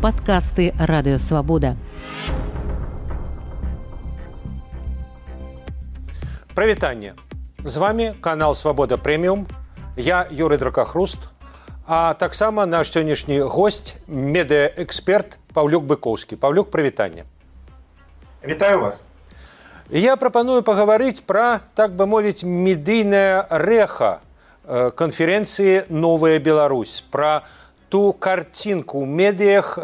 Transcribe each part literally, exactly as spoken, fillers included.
Падкасты Радыё Свабода. Прывітанне. З вами канал Свабода Прэміум. Я Юрый Дракахруст, а таксама наш сённяшні госць, медыаэксперт Паўлюк Быкоўскі. Паўлюк, прывітанне. Вітаю вас. Я прапаную пагаварыць пра, так бы мовіць, медыйнае рэха канферэнцыі «Новая Беларусь», пра ту карцінку ў медыях,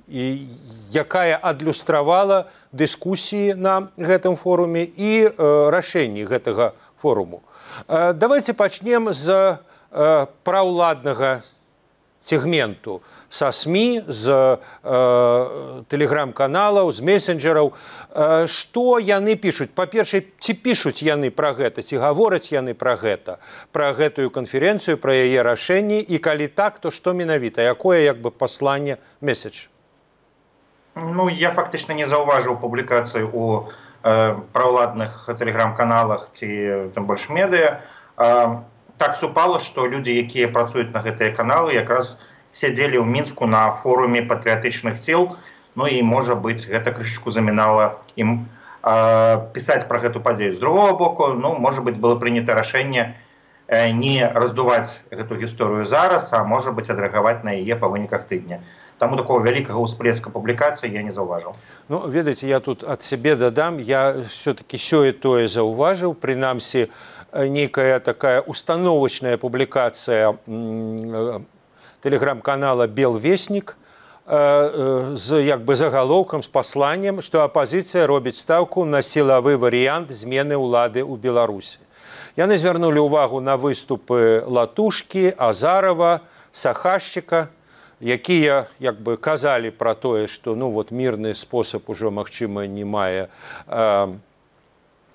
якая адлюстравала дыскусіі на гэтым форуме і рашэнні гэтага форуму. Давайте пачнем з праўладнага сегменту, са СМИ, з тэлеграм-каналаў, з месенджераў. Што яны пішуць? Па-першае, ці пішуць яны пра гэта, ці гавораць яны пра гэта, пра гэтую канферэнцыю, пра яе рашэнні, і калі так, то што менавіта, якое як бы пасланне, месседж? Ну, я фактычна не заўважыў публікацыю у э, праўладных тэлеграм-каналах ці тым больш медыа. Э, так супала, што людзі, якія працуюць на гэтыя каналы, якраз сядзелі ў Мінску на форуме патрыятычных сіл, ну і, можа быць, гэта крышачку замінала ім э, пісаць пра гэту падзею. З другого боку, ну, можа быць, было прынята рашэнне э, не раздуваць гэту гісторыю зараз, а, можа быць, адрэагаваць на яе па выніках тыдня. Таму такого вялікага ўсплеска публікацыі я не заўважыў. Ну, ведаеце, я тут ад сябе дадам, я все-таки сёе-тое заўважыў, прынамсі, нейкая такая установочная публікацыя тэлеграм-канала «Белвеснік» з як бы загалоўкам, з пасланнем, што апазіцыя робіць стаўку на сілавы варыянт змены ўлады ў Беларусі. Яны звярнулі ўвагу на выступы Латушкі, Азарова, Сахашчыка, якія як бы казалі пра тое, што ну вот мірны спосаб ужо, магчыма, не мае э,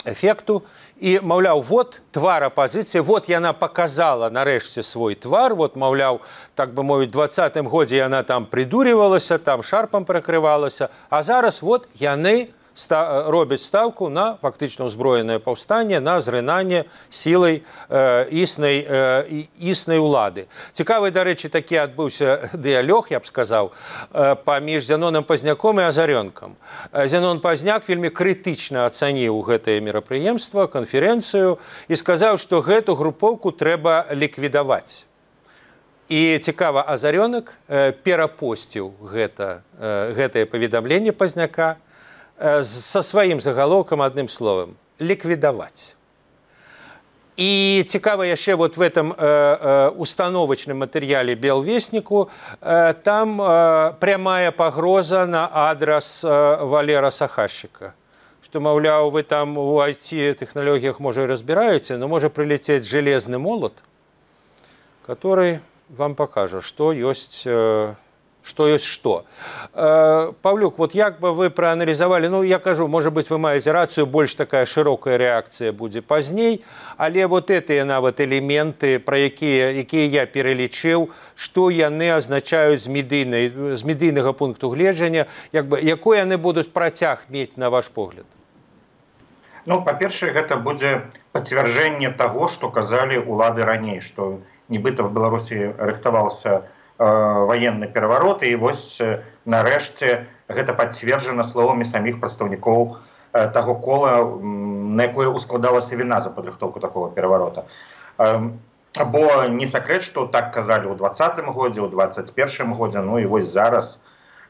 эфекту. І, маўляў, вот твар апазіцыі, вот яна показала нарэшце свой твар, вот, маўляў, так бы мовіць, двадцатым годзе яна там придурівалася, там шарпам прыкрывалася, а зараз вот яны ста робяць стаўку на фактычна ўзброенае паўстанне, на зрынанне сілай э, існай, э, існай улады. Цікавы, дарэчы, такі адбыўся дыялог, я б сказаў, э, паміж Зяноном Пазняком і Азарёнкам. Зянон Пазняк вельмі крытычна ацаніў гэтае мерапрыемства, канферэнцыю, і сказаў, што гэту групоўку трэба ліквідаваць. І цікава, Азарёнак э, перапосціў гэта, э, гэтае паведамленне Пазняка со сваім загалоўкам, адным словам, ліквідаваць. І цікава яшчэ вот в этом э, э, установочным матэрыяле «Белвесніку» э, там э, прямая пагроза на адрас э, Валера Сахашчыка, што, маўляў, вы там у ай ти-тэхналогіях, можа, і разбіраеце, но можа прилететь железны молот, который вам пакажа, што ёсць э, што ёсць што. Э, Паўлюк, вот як бы вы прааналізавалі, ну, я кажу, можа быць, вы маеце рацыю, больш такая шырокая рэакцыя будзе пазней, але вот гэтыя нават элементы, пра якія, якія я пералічыў, што яны азначаюць з медыйнай, з медыйнага пункту гледжання, як бы, якой яны будуць працяг мець, на ваш погляд? Ну, па-першае, гэта будзе пацвярджэнне таго, што казалі ўлады раней, што нібыта в Беларусі рыхтаваўся военный пераворот, і вось нарэшце гэта пацверджана словамі саміх прадстаўнікоў таго кола, на якое ускладалася віна за падрыхтоўку такого пераварота. Бо не сакрэт, што так казалі ў двадцатым годзе, ў двадцать першым годзе, ну і вось зараз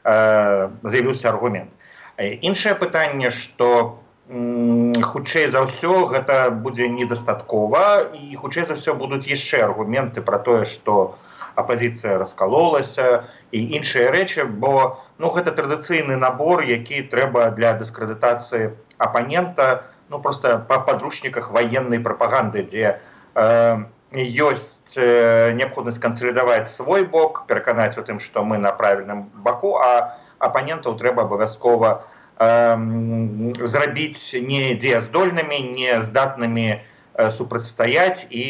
з'явіўся аргумент. Іншае пытанне, што хутчэй за ўсё гэта будзе недастаткова, і хутчэй за ўсё будуць яшчэ аргументы пра тое, што апазіцыя раскалолася і іншыя рэчы, бо ну, гэта традыцыйны набор, які трэба для дыскрэдытацыі апанента, ну, проста па падручніках ваеннай прапаганды, дзе э, ёсць э, неабходнасць кансалідаваць свой бок, пераканаць у тым, што мы на правільным баку, а апанентаў трэба абавязкова э, зрабіць не дзеяздольнымі, не здатнымі супрацьстаяць і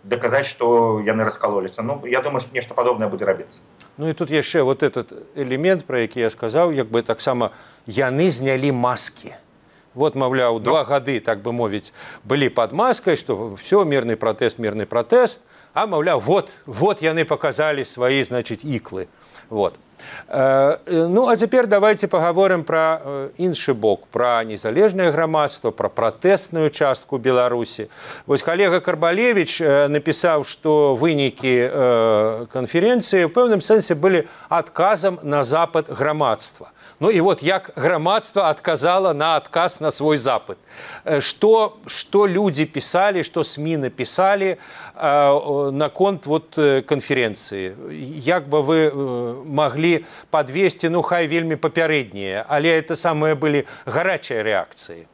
даказаць, што яны раскалоліся. Ну, я думаю, што нешта падобнае будзе рабіцца. Ну і тут яшчэ вот этот элемент, про які я сказаў, як бы таксама яны знялі маскі. Вот, маўляў, два гады, так бы мовіць, былі пад маскай, што все, мірны пратэст, мірны пратэст, А маўляў, вот, вот яны показалі свае, значыць, іклы. Вот. Ну, а цяпер давайте паговорым пра іншы бок, пра незалежнае грамадства, пра пратэсную частку Беларусі. Вось калега Карбалевіч напісаў, што вынікі канферэнцыі ў пэўным сэнсе былі адказам на запыт грамадства. Ну і вот як грамадства адказала на адказ на свой запыт. Што, што людзі пісалі, што СМІ напісалі наконт вот канферэнцыі? Як бы вы маглі подвесці, ну, хай вельмі папярэднія, але это самыя былі гарачыя рэакцыі?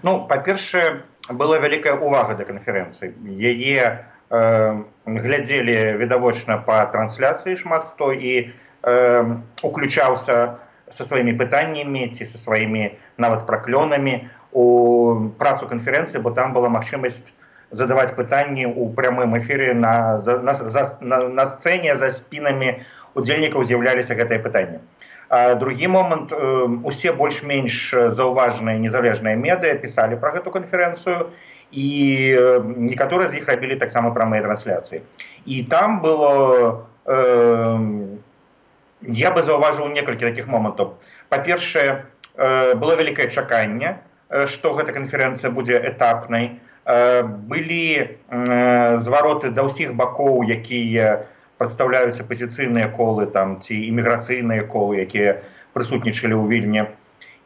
Ну, па-першае, была вялікая ўвага да канферэнцыі. Яе э, глядзелі відавочна па трансляцыі шмат хто і э, уключаўся са сваімі пытаннямі ці са сваімі нават праклёнамі у працу канферэнцыі, бо там была магчымасць задаваць пытанні ў прямым эфіры на, на, на, на сцэне за спінамі удзельнікаў з'яўляліся гэтыя пытанні. А другі момант, усе больш-менш заўважныя незалежныя медыа пісалі пра гэту канферэнцыю, і некаторыя з іх рабілі таксама прамыя трансляцыі. І там было, э, я бы заўважыў некалькі такіх момантаў. Па-першае, э, было вялікае чаканне, што гэта канферэнцыя будзе этапнай. Э, былі э, звароты да ўсіх бакоў, якія прадстаўляюць апазіцыйныя колы там, ці іміграцыйныя колы, якія прысутнічалі ў Вільні.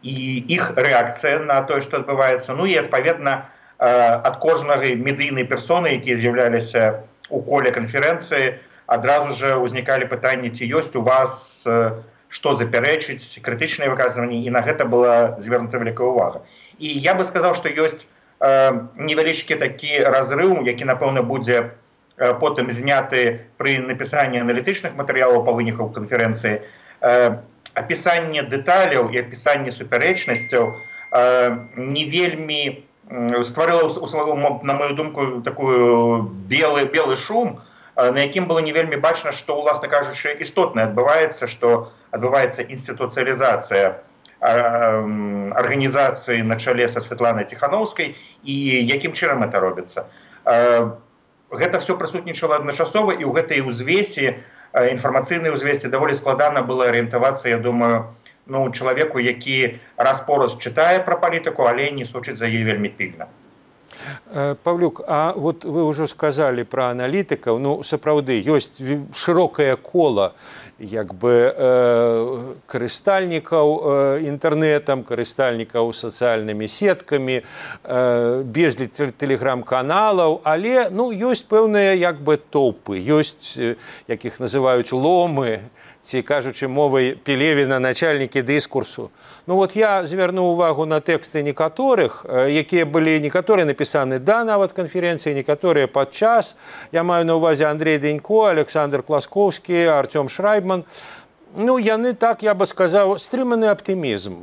І іх рэакцыя на тое, што адбываецца. Ну і, адпаведна, ад кожнага медыйнай персоны, якія з'яўляліся ў коле канферэнцыі, адразу ж узнікалі пытанні, ці ёсць у вас што запярэчыць, крытычныя выказванні, і на гэта была звернута вялікая ўвага. І я бы сказаў, што ёсць невялічкі такі разрыў, які, напэўна, будзе потым зняты пры напісанні аналітычных матэрыялаў па выніках канферэнцыі. Апісанне дэталяў і апісанне супярэчнасцяў не вельмі стварыла, на мою думку, такую белы, белы шум, на якім было не вельмі бачна, што, уласна кажучы, істотна адбываецца, што адбываецца інстытуцыялізацыя арганізацыі на чале са Святланай Ціхановскай, і якім чынам гэта робіцца. Гэта все прысутнічала адначасова, і ў гэтай узвесе, інфармацыйнай узвесе, даволі складана было арыентавацца, я думаю, ну, чалавеку, які раз-пораз чытае пра палітыку, але не сочыць за яе вельмі пільна. Павлюк, а вот вы ўжо сказалі пра аналітыкаў, ну, сапраўды, ёсць шырокае кола як бы э, карыстальнікаў э, інтэрнэтам, карыстальнікаў сацыяльнымі сеткамі, э, безліч тэлеграм-каналаў, але ну, ёсць пэўныя як бы топы, ёсць, э, як іх называюць, ломы, ці, кажучы мовай Пелевіна, начальнікі дыскурсу. Ну вот я звярнуў увагу на тэксты некаторых, якія былі некаторыя напісаны да нават канферэнцыі, некаторыя падчас. Я маю на ўвазе Андрей Денько, Александр Класкоўскі, Артём Шрайбман. Ну, яны так, я бы сказаў, стрыманы аптымізм.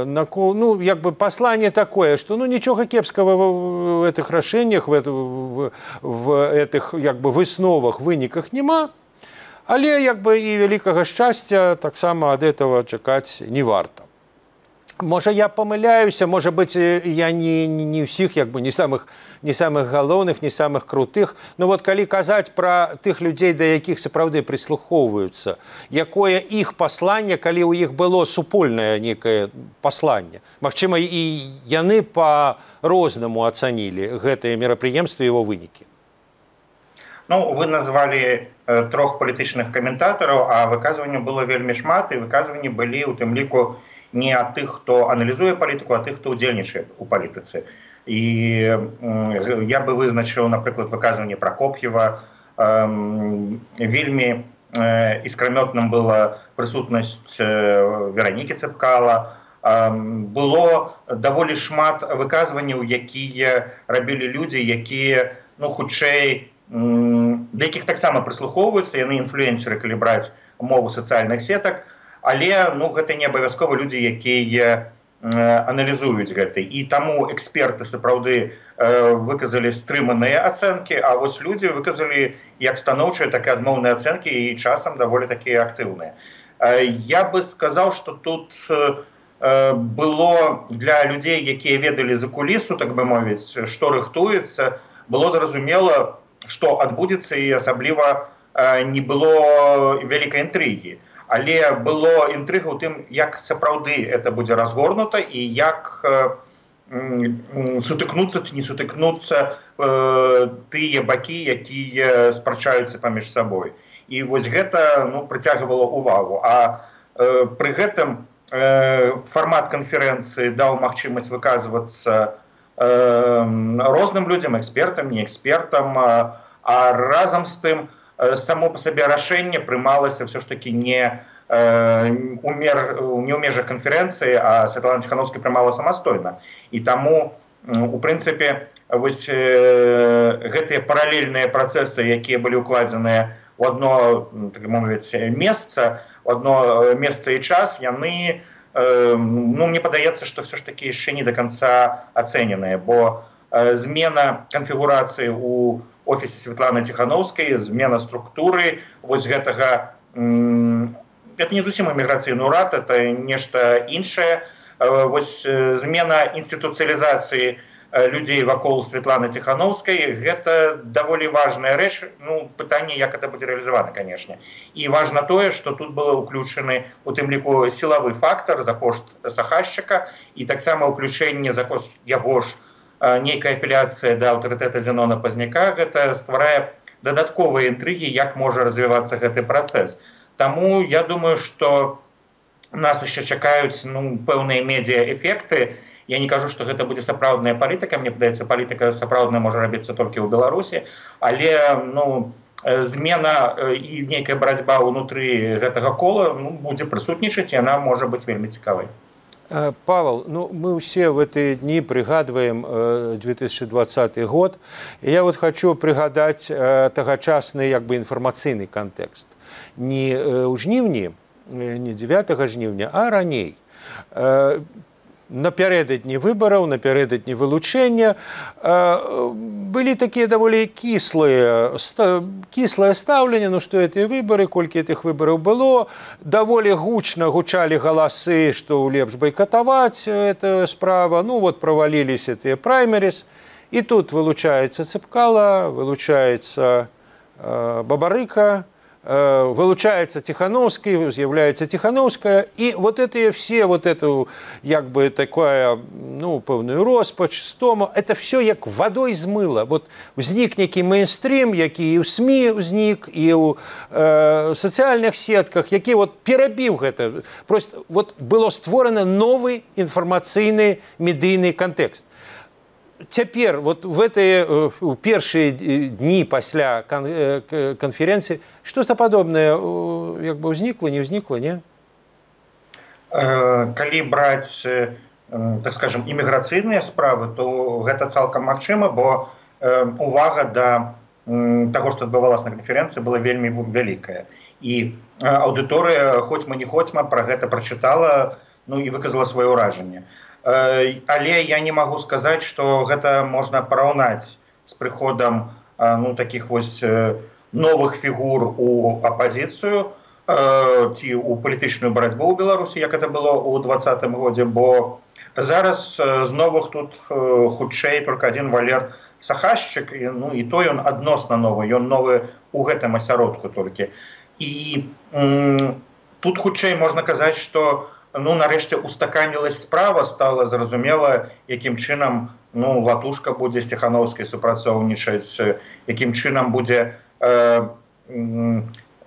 Ну, як бы пасланне такое, што ну, нічога кепскага в этих рашэннях, в, в, в этих як бы высновах, выніках няма. Але як бы і вялікага шчасця таксама ад этого чакаць не варта. Можа, я памыляюся, можа быць, я не, не, не ўсіх, як бы, не самых, не самых галоўных, не самых крутых. Но вот калі казаць пра тых людзей, да якіх сапраўды прыслухоўваюцца, якое іх пасланне, калі ў іх было супольнае некае пасланне. Магчыма, і яны па-рознаму ацанілі гэтае мерапрыемства і яго вынікі. Ну, вы назвалі э, трох палітычных каментатараў, а выказванняў было вельмі шмат, і выказванні былі ў тым ліку не ад тых, хто аналізуе палітыку, а тых, хто ўдзельнічае ў палітыцы. І э, я бы вызначыў, напрыклад, выказванне Прокоп'ева. Э, вельмі э, іскрамётным была прысутнасць э, Веранікі Цэпкала. Э, было даволі шмат выказванняў, якія рабілі людзі, якія, ну, хутчэй, да якіх таксама прыслухоўваюцца, яны інфлюэнсеры, калі браць мову сацыяльных сетак, але ну, гэта не абавязкова людзі, якія аналізуюць гэта. І таму эксперты сапраўды выказалі стрыманыя ацэнкі, а вось людзі выказалі як станоўчыя, так і адмоўныя ацэнкі, і часам даволі такія актыўныя. Я бы сказаў, што тут было для людзей, якія ведалі за кулісу, так бы мовіць, што рыхтуецца, было зразумела, што адбудзецца, і асабліва не было вялікай інтрыгі. Але было інтрыга ў тым, як сапраўды это будзе разгорнута і як сутыкнуцца ці не сутыкнуцца тыя бакі, якія спрачаюцца паміж сабой. І вось гэта ну, прыцягвала ўвагу. А пры гэтым фармат канферэнцыі даў магчымасць выказвацца розным людзям, экспертам, не экспертам, а разам з тым само по сабе рашэнне прымалася все ж таки не у межах канферэнцыі, а Святлана Ціхановская прымала самастойна. І таму, у прынцыпе, вось гэтыя паралельныя працэсы, якія былі ўкладзеныя у одно, так мовіць, месца, у одно месца і час, яны, ну, мне падаецца, што все ж таки яшчэ не до конца ацэненыя, бо змена канфігурацыі у офісе Святланы Ціхановскай, змена структуры вось гэтага, это не зусім эміграцыйны ўрад, это нешта іншае. Вось змена інстытуцыялізацыі людзей вакол Святланы Ціхановскай, гэта даволі важная рэч, ну, пытанне, як это будзе рэалізавана, канешне. І важна тое, што тут было ўключаны у тым ліку сілавы фактар за кошт Сахашчыка, і таксама ўключэнне за кошт яго ж нейкая апеляцыя да аўтарытэта Зенона Пазняка, гэта стварае дадатковыя інтрыгі, як можа развівацца гэты працэс. Таму я думаю, што нас яшчэ чакаюць ну, пэўныя медыа-эфекты. Я не кажу, што гэта будзе сапраўдная палітыка, мне падаецца, палітыка сапраўдная можа рабіцца толькі ў Беларусі, але ну, змена і нейкая барацьба ўнутры гэтага кола ну, будзе прысутнічаць, і яна можа быць вельмі цікавай. Павел, ну, мы все в эти дни пригадываем две тысячи двадцатый год. И я вот хочу пригадать тогочасный как бы информационный контекст. Не у жнівні, не девятого жнівня, а раней. Напярэдадні выбараў, напярэдадні вылучэння былі такія даволі кіслыя кіслае стаўленне, ну што гэтыя выбары, колькі гэтых выбараў было, даволі гучна гучалі галасы, што лепш байкатаваць эта справа, ну вот праваліліся тыя праймеріс, і тут вылучаецца Цыпкала, вылучаецца Бабарыка, вылучается Тихановский, з'является Тихановская, и вот это все, вот эту, как бы, такая, ну, певную роспач, стому, это все як водой змыло. Вот узник некий мейнстрим, який и у СМИ узник, и у э, социальных сетках, який вот перебил это. Просто вот было створено новый информационный медийный контекст. Цяпер вот в этой у першыя дні пасля канферэнцыі што-то падобнае як бы ўзнікла, не ўзнікла, не? Калі браць, так скажем, іміграцыйныя справы, то гэта цалкам магчыма, бо увага да таго, што адбывалася на канферэнцыі, была вельмі вялікая. І аўдыторыя, хоць мы не хоць-ма, пра гэта прачытала, ну і выказала сваё ўражанне. Але я не могу сказаць, што гэта можна параўнаць з прыходам ну, такіх вось новых фігур у апазіцыю ці ў палітычную барацьбу ў Беларусі, як это было ў двадцатым годзе, бо зараз з новых тут хутчэй толькі адзін Валер Сахашчык, ну і то ён адносна новы, ён новы ў гэтым асяродку толькі. І тут хутчэй можна казаць, што ну, нарэшце устаканілась справа, стала зразумела, якім чынам ну, Латушка будзе з Тихановскай супрацоўнічаць, якім чынам будзе э,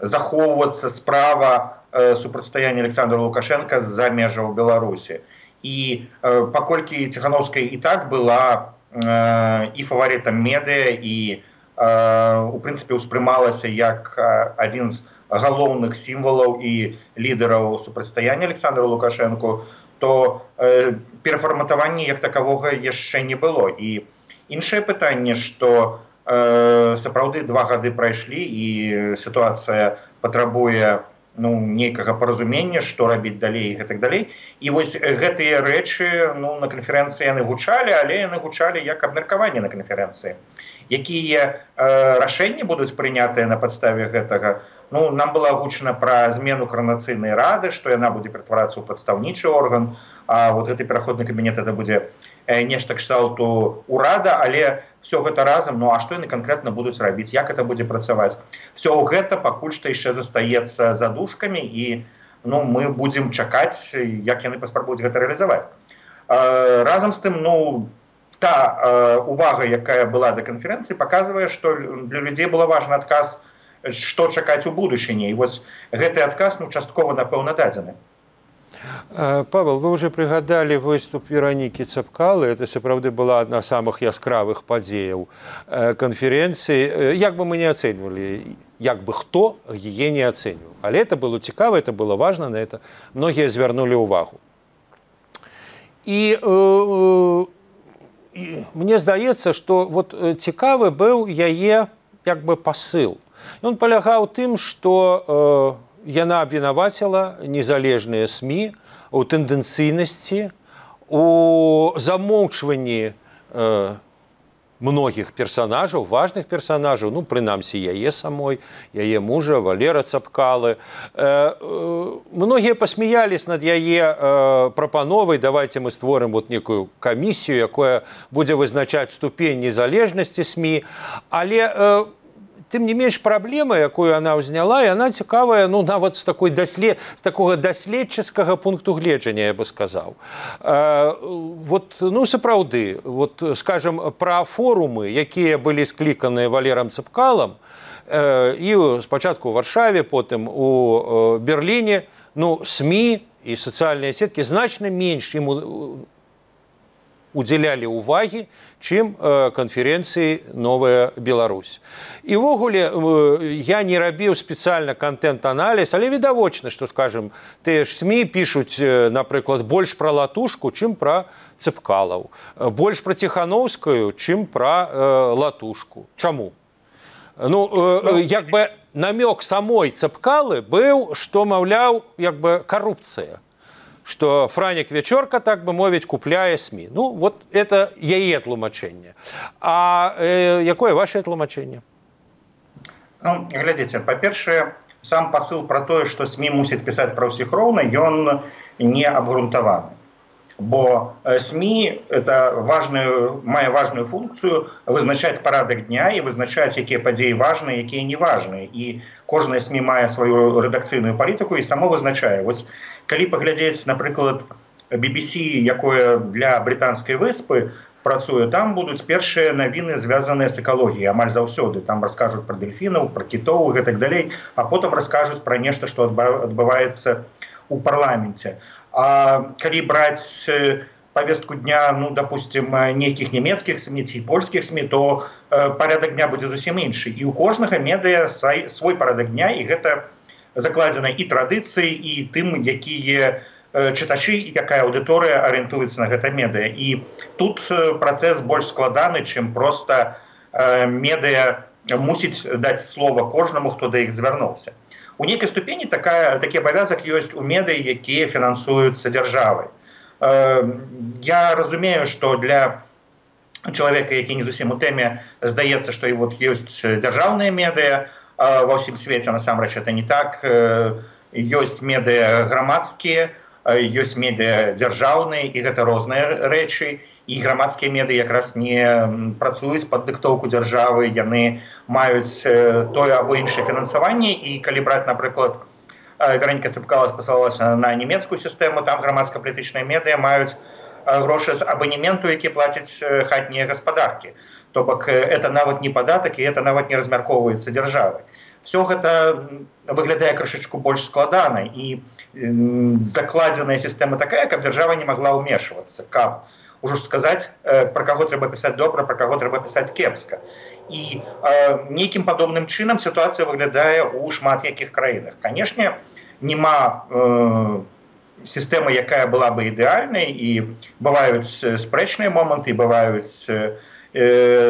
захоўвацца справа э, супрацьстаяння Александра Лукашенка з-за межаў Беларусі. І э, паколькі Тихановская і так была э, і фаварытам медыа, і э, у прынцыпе ўспрымалася як адзін з галоўных сімвалаў і лідараў супрацьстаяння Александру Лукашенку, то э, перафарматавання як такавога яшчэ не было. І іншае пытанне, што э, сапраўды два гады прайшлі і сітуацыя патрабуе ну, нейкага паразумення, што рабіць далей і гэтак далей. І вось гэтыя рэчы ну, на канферэнцыі яны гучалі, але яны гучалі як абмеркаванне на канферэнцыі. Якія э, рашэнні будуць прынятыя на падставе гэтага? Ну, нам было агучана пра змену каранацыйнай рады, што яна будзе ператварацца ў прадстаўнічы орган, а вот гэты пераходны кабінет это будзе нешта кшталту ўрада, але все гэта разам, ну а што яны канкрэтна будуць рабіць, як это будзе працаваць. Все гэта пакуль што яшчэ застаецца задушкамі, і ну, мы будзем чакаць, як яны паспрабуюць гэта рэалізаваць. Разам з тым, ну, та увага, якая была да канферэнцыі, паказвае, што для людзей было важны адказ, што чакаць у будучыні. І вось гэты адказ, ну, часткова, напэўна, дадзены. Павел, вы уже прыгадалі выступ Веронікі Цапкалы. Это сапраўды была адна з самых яскравых падзеяў канферэнцыі. Як бы мы не ацэньвалі, як бы хто яе не ацэньваў. Але это было цікава, это было важна, на это многія звярнулі ўвагу. І, э, і мне здаецца, што вот цікавы быў яе як бы пасыл. Ён палягаў тым, што э, яна абвінаваціла незалежныя СМІ у тэндэнцыйнасці, у замоўчванні э, многіх персанажаў, важных персанажаў, ну, прынамсі, яе самой, яе мужа, Валера Цапкалы. Э, э, многія пасмяялись над яе э, прапановай, давайте мы створым вот некую камісію, якая будзе вызначаць ступень незалежнасці СМІ, але э, тым не менш, праблема, якую она ўзняла, і она цікавая, ну, нават з такой даслед... з такога даследчыцкага пункту гледжання, я бы сказаў. Э, вот, ну, сапраўды, вот, скажем, пра форумы, якія былі скліканыя Валерам Цапкалам, э, і спачатку ў Варшаве, потым у э, Берліне, ну, СМІ і сацыяльныя сеткі значна менш ім удзялялі ўвагі, чым э, канферэнцыі «Новая Беларусь». І ўвогуле, э, я не рабіў спецыяльна контент-аналіз, але відавочна, што, скажем, тыя ж СМІ пішуць, э, напрыклад, больш пра Латушку, чым пра Цапкалаў, больш пра Ціханаўскую, чым пра э, Латушку. Чаму? Ну, э, як бы намёк самой Цапкалы быў, што, маўляў, як бы карупцыя. Что Франік Вечорка, так бы мовіць, купляе СМІ. Ну, вот это яе тлумачэнне. А э, якое ваше тлумачэнне? Ну, глядзіце, па-першае, сам пасыл пра тое, што СМІ мусіць пісаць пра ўсіх роўна, ён не абгрунтаваны. Бо СМІ это важную, мае важную функцыю вызначаць парадак дня і вызначаць, якія падзеі важныя, якія не важныя. І кожная СМІ мае сваю рэдакцыйную палітыку і само вызначае. Вось, калі паглядзець, напрыклад, би би си, якое для брытанскай выспы працуе, там будуць першыя навіны, звязаныя з экалогіяй, амаль заўсёды. Там раскажуць пра дельфінаў, пра кітоў і гэтак далей, а потым раскажуць пра нешта, што адбываецца ў парламенце. А калі браць повестку дня, ну, допустим, нейкіх нямецкіх СМІ ці польскіх СМІ, то э, парадак дня будзе зусім іншы. І у кожнага медыа свой, свой парадак дня, і гэта закладзена і традыцыі, і тым, якія э, чытачы і якая аўдыторыя арыентуецца на гэта медыа. І тут э, працэс больш складаны, чым проста э, медыа мусіць даць слова кожнаму, хто да іх звярнуўся. У нейкай ступені такая, такі абавязак ёсць у медый, якія фінансуюцца дзяржавай. Я разумею, што для чалавека, які не зусім у тэме, здаецца, што і вот ёсць дзяржаўныя медыа ва ўсім свеце, насамрэч это не так. Ёсць медыа грамадскія, ёсць медыа дзяржаўныя, і гэта розныя рэчы. І грамадскія медыа якраз не працуюць пад дыктоўку дзяржавы, яны маюць тое або іншае фінансаванне, і калі браць, напрыклад, Вероніка Цапкала спасалася на нямецкую сістэму, там грамадска-палітычныя медыа маюць грошы з абанементу, які плацяць хатнія гаспадаркі. То бок это нават не падатак, і это нават не размяркоўваецца дзяржавай. Все гэта выглядае крышачку больш складана, і закладзеная сістэма такая, каб дзяржава не магла ўмешвацца, каб ужо сказаць, пра каго трэба пісаць добра, пра каго трэба пісаць кепска. І э, нейкім падобным чынам сітуацыя выглядае ў шмат якіх краінах. Канешне, няма э, сістэмы, якая была бы ідэальнай, і бываюць спрэчныя моманты, бываюць э,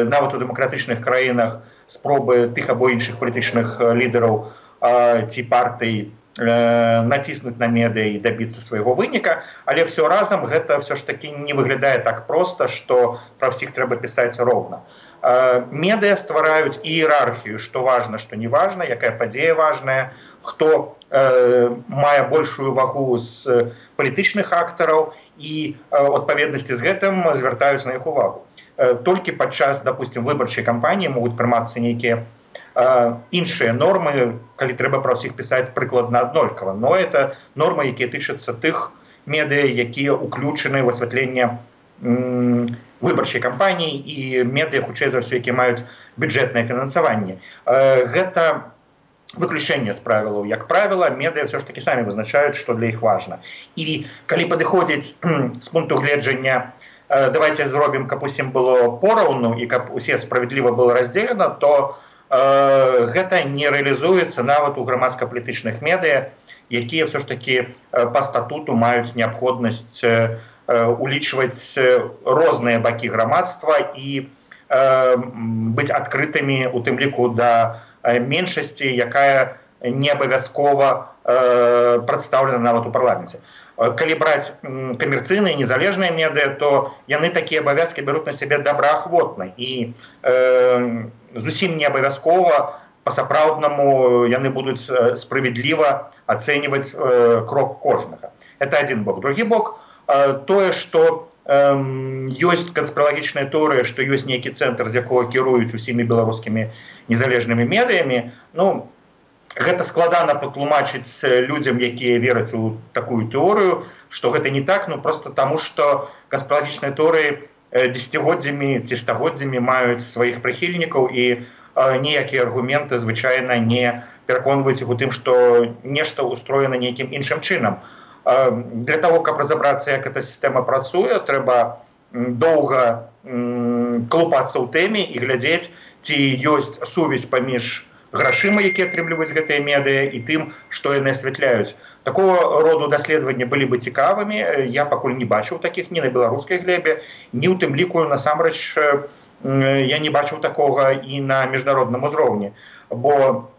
нават у дэмакратычных краінах спробы тых або іншых палітычных лідараў э, ці партый націснуць на медыа і дабіцца свайго выніка, але все разам гэта все ж таки не выглядае так проста, што пра ўсіх трэба пісаць роўна. Медыа ствараюць іерархію, што важна, што не важна, якая падзея важная, хто э, мае большую вагу з палітычных актараў і ў адпаведнасці з гэтым звяртаюць на іх увагу. Э, толькі падчас, допустим, выбарчай кампаніі могуць прымацца нейкія э, іншыя нормы, калі трэба пра ўсіх пісаць прыкладна аднолькава. Но это нормы, якія тычацца тых медыа, якія ўключаны ў асвятленне м, выбарчай кампаніі і медыа, хутчэй за ўсё, якія маюць бюджэтнае фінансаванне. Э, гэта выключэнне з правілаў. Як правіла, медыа все ж таки самі вызначаюць, што для іх важна. І калі падыходзіць з пункту гледжання, э, давайте зробім, каб усім было пораўну і каб усе справядліва было раздзелена, то э, гэта не рэалізуецца нават у грамадска-палітычных медыа, якія все ж таки э, па статуту маюць неабходнасць э, улічваць розныя бакі грамадства і э, быць адкрытымі, у тым ліку да меншасці, якая не абавязкова э, прадстаўлена нават у парламенце. Калі браць камерцыйныя незалежныя медыа, то яны такія абавязкі бяруць на сябе добраахвотна і э, зусім не абавязкова па-сапраўднаму яны будуць справядліва ацэньваць э, крок кожнага. Это адзін бок. Другі бок э, тое, што ёсць канспіралагічная тэорыя, што ёсць нейкі цэнтр, з якога кіруюць усімі беларускімі незалежнымі медыямі. Ну, гэта складана патлумачыць людзям, якія вераць у такую тэорыю, што гэта не так, ну проста таму, што канспіралагічныя тэорыі дзесяцігоддзямі ці стагоддзямі маюць сваіх прыхільнікаў і ніякія аргументы звычайна не пераконваюць іх у тым, што нешта ўстроена нейкім іншым чынам. Для того, каб разабрацца, як эта сістэма працуе, трэба доўга клупацца ў тэме і глядзець, ці ёсць сувязь паміж грашыма, якія атрымліваюць гэтыя медыа, і тым, што яны асвятляюць. Такого роду даследаванні былі бы цікавымі. Я пакуль не бачыў такіх ні на беларускай глебе, ні ў тым ліку насамрэч я не бачыў такога і на міжнародным узроўні. Бо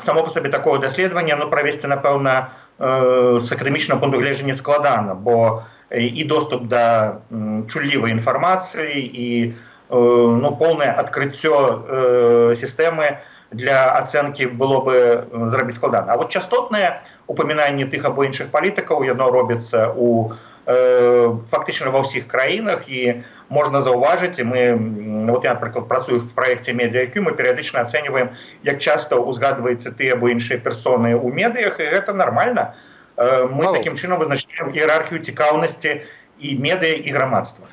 само па сабе такого даследавання ну, правесці, напэўна, з акадэмічнага пункту гледжання складана, бо і доступ да чуллівай інфармацыі і ну, поўнае адкрыццё сістэмы для ацэнкі было бы зрабіць складана. А вот частотнае упамінанне тых або іншых палітыкаў, яно робіцца у фактычна ва ўсіх краінах, і можна заўважыць, і мы, вот я, напрыклад, працую в праекце Media ай кью, мы перыядычна ацэньваем, як часта узгадваецца тыя або іншыя персоны ў медыях, і гэта нармальна. Мы Павел, таким чынам вызначаем іерархію цікаўнасці і медыа, і грамадства.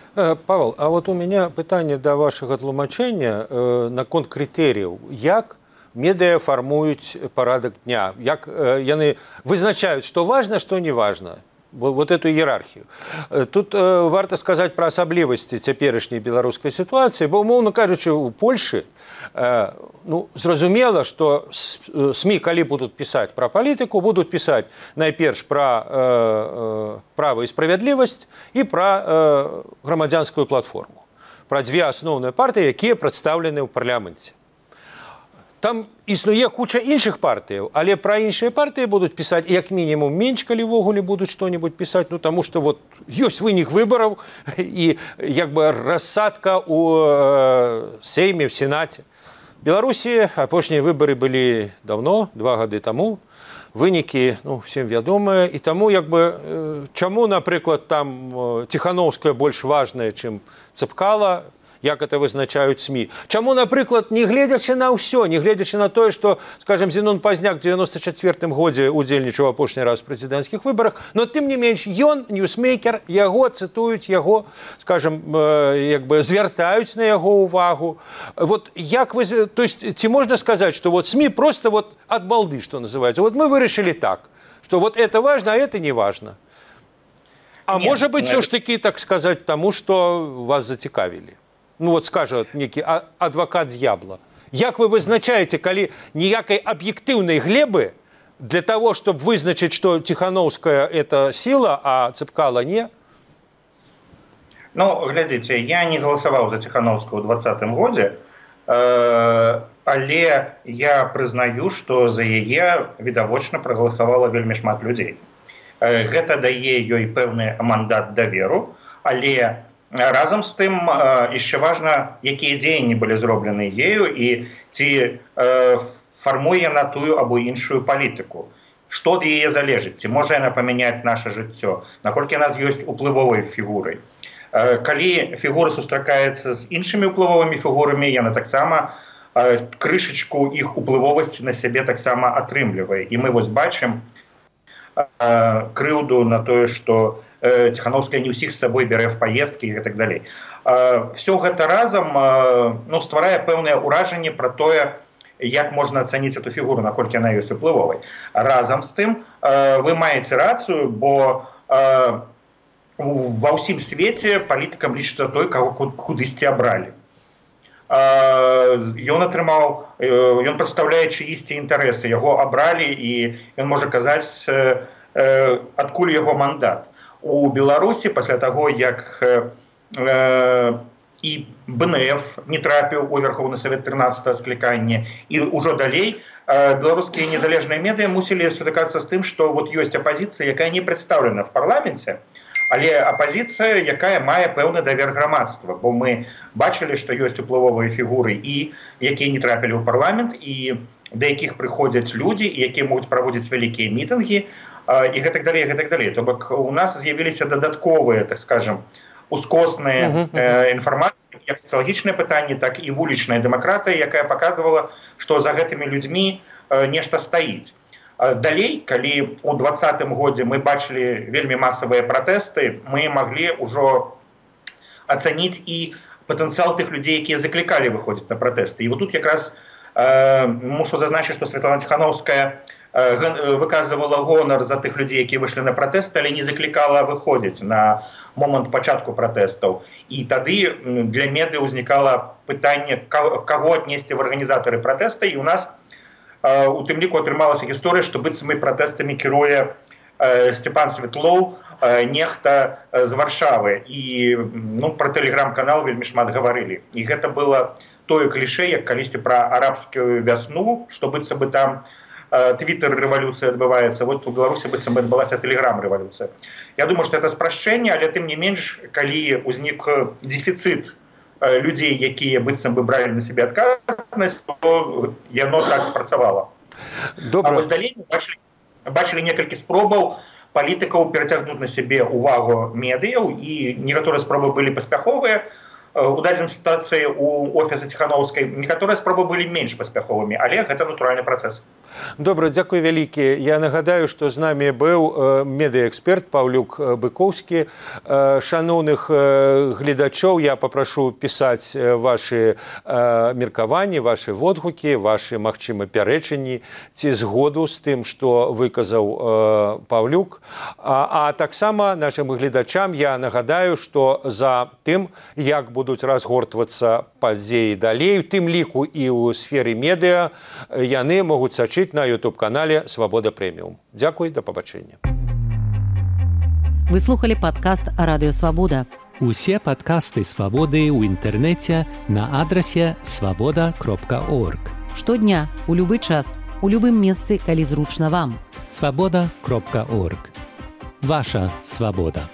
Павел, а вот у меня пытанне да вашага тлумачэння наконт крытэрыяў. Як медыа фармуюць парадак дня? Як яны вызначаюць, што важна, што не важна? Вот эту иерархию. Тут э, варто сказать про асаблівасці цяперашняй беларускай сітуацыі, бо, умоўна кажучы, у Польшы э, ну, зразумела, што СМИ, калі будуць пісаць пра палітыку, будуць пісаць найперш пра э, э, права і справядлівасць і пра э, грамадзянскую платформу, пра дзве асноўныя партыі, якія прадстаўлены ў парламенце. Там існуе куча іншых партыяў, але пра іншыя партыі будуць пісаць як мінімум менш, калі ўвогуле будуць што-небудзь пісаць, ну таму што вот ёсць вынік выбараў і як бы рассадка ў э, Сейме, в Сенаце. Беларусі апошнія выбары былі давно, два гады таму. Вынікі, ну, всем вядомыя, і таму як бы э, чаму, напрыклад, там э, Ціхановская больш важная, чым Цэпкала, як это вызначаюць СМИ. Чаму, напрыклад, не гледзячы на ўсё, не гледзячы на тое, што, скажем, Зенон Пазняк у девяносто четвёртым годзе удзельнічаў апошні раз у прэзідэнцкіх выбарах, но тым не менш ён, ньюсмейкер, яго цытуюць, яго, скажем, як бы звяртаюць на яго ўвагу. Вот як вы, то есть, ці можна сказаць, што вот СМИ просто вот ад балды, што называецца. Вот мы вырашылі так, што вот это важно, а это не важно. А нет, может быть, все ж таки, так сказать, тому, што вас зацікавілі. Ну вот скажет некий адвокат дьявола. Як вы вызначаете, калі ніякай аб'ектыўнай глебы для того, чтобы вызначить, что Тихановская это сила, а Цэпкала не? Ну, глядите, я не голосовал за Тихановскую в двадцатым годзе, э, але я прызнаю, что за яе відавочна прагаласавала вельмі шмат людзей. Э, гэта дае ёй пэўны мандат даверу, але разам з тым яшчэ важна, якія дзеянні былі зроблены ею і ці э, фармуе на тую або іншую палітыку. Што ад яе залежыць? Ці можа яна памяняць наша жыццё? Наколькі яна ёсць уплывовай фігурай? Калі фігура сустракаецца з іншымі уплывовымі фігурамі, яна таксама крышачку іх уплывовасці на сябе таксама атрымлівае. І мы вось бачым крыўду на тое, што Ціхановская не ўсіх з сабой бярэ в паездкі і так далей. Все гэта разам ну, стварае пэўнае ўражанне пра тое, як можна ацаніць эту фігуру, наколькі яна ёсць уплывовай. Разам з тым вы маеце рацыю, бо ва ўсім свеце палітыкам лічыцца той, каго кудысьці абралі. Ён атрымаў, ён прадстаўляе чыісьці інтарэсы, яго абралі і ён можа казаць, адкуль яго мандат. У Беларусі пасля таго, як і бэ эн эф не трапіў у Верховны Савет трынаццатага склікання, і ўжо далей беларускія незалежныя медыа мусілі сутыкацца з тым, што вот ёсць апазіцыя, якая не прадстаўлена в парламенце, але апазіцыя, якая мае пэўны давер грамадства, бо мы бачылі, што ёсць уплывовыя фігуры, і якія не трапілі ў парламент, і да якіх прыходзяць людзі, якія могуць праводзіць вялікія мітынгі, і гэтак далей, гэтак далей. То бок у нас з'явіліся дадатковыя, так скажем, ускосныя інфармацыі, як сацыялагічныя пытанні, так і вулічная дэмакратыя, якая паказвала, што за гэтымі людзьмі нешта стаіць. Далей, калі ў двадцатым годзе мы бачылі вельмі масавыя пратэсты, мы маглі ўжо ацаніць і патэнцыял тых людзей, якія заклікалі выходзіць на пратэсты. І вот тут якраз мушу зазначыць, што Святлана Ціхановская выказывала гонар за тых людзей, якія выйшлі на пратэсты, але не заклікала выходзіць на момант пачатку пратэстаў. І тады для медыа ўзнікала пытанне, каго аднесці в арганізатары пратэста, і ў нас у тым ліку атрымалася гісторыя, што быццам і пратэстамі кіруе Степан Светлоў, нехта з Варшавы. І ну, пра тэлеграм-канал вельмі шмат гаварылі. І гэта было тое клішэ, як калісьці пра арабскую вясну, што быццам бы там твиттер-рэвалюцыя адбываецца, вот у Беларусі быццам бы адбылася тэлеграм-рэвалюцыя. Я думаю, што это спрашчэнне, але тым не менш, калі ўзнік дэфіцыт людзей, якія быццам бы бралі на сябе адказнасць, то яно так спрацавала. Добра. А вось далей мы бачылі, бачылі некалькі спробаў палітыкаў перацягнуць на сябе увагу медыяў, і некаторыя спробы былі паспяховыя. У дадзенай сітуацыі у офіса Ціхановскай некаторыя спробы былі менш паспяховымі, але гэта натуральны працэс. Добра, дзякуй вялікі. Я нагадаю, што з намі быў медыаэксперт Паўлюк Быкоўскі. Шаноўных гледачоў я папрашу пісаць вашы меркаванні, вашы водгукі, вашы, магчыма, пярэчанні ці згоду з тым, што выказаў Паўлюк. А, а таксама нашым гледачам я нагадаю, што за тым, як будуць разгортвацца падзеі далей, у тым ліку і ў сферы медыа, яны могуць сачыць на ютуб-канале «Свабода Прэміум». Дзякуй, да пабачэння. Вы слухали падкаст «Радыё Свабода». Усе падкасты «Свабоды» ў інтэрнэце на адрасе свабода кропка орг. Штодня, у любы час, у любым месцы, калі зручна вам. свабода кропка орг. Ваша свабода.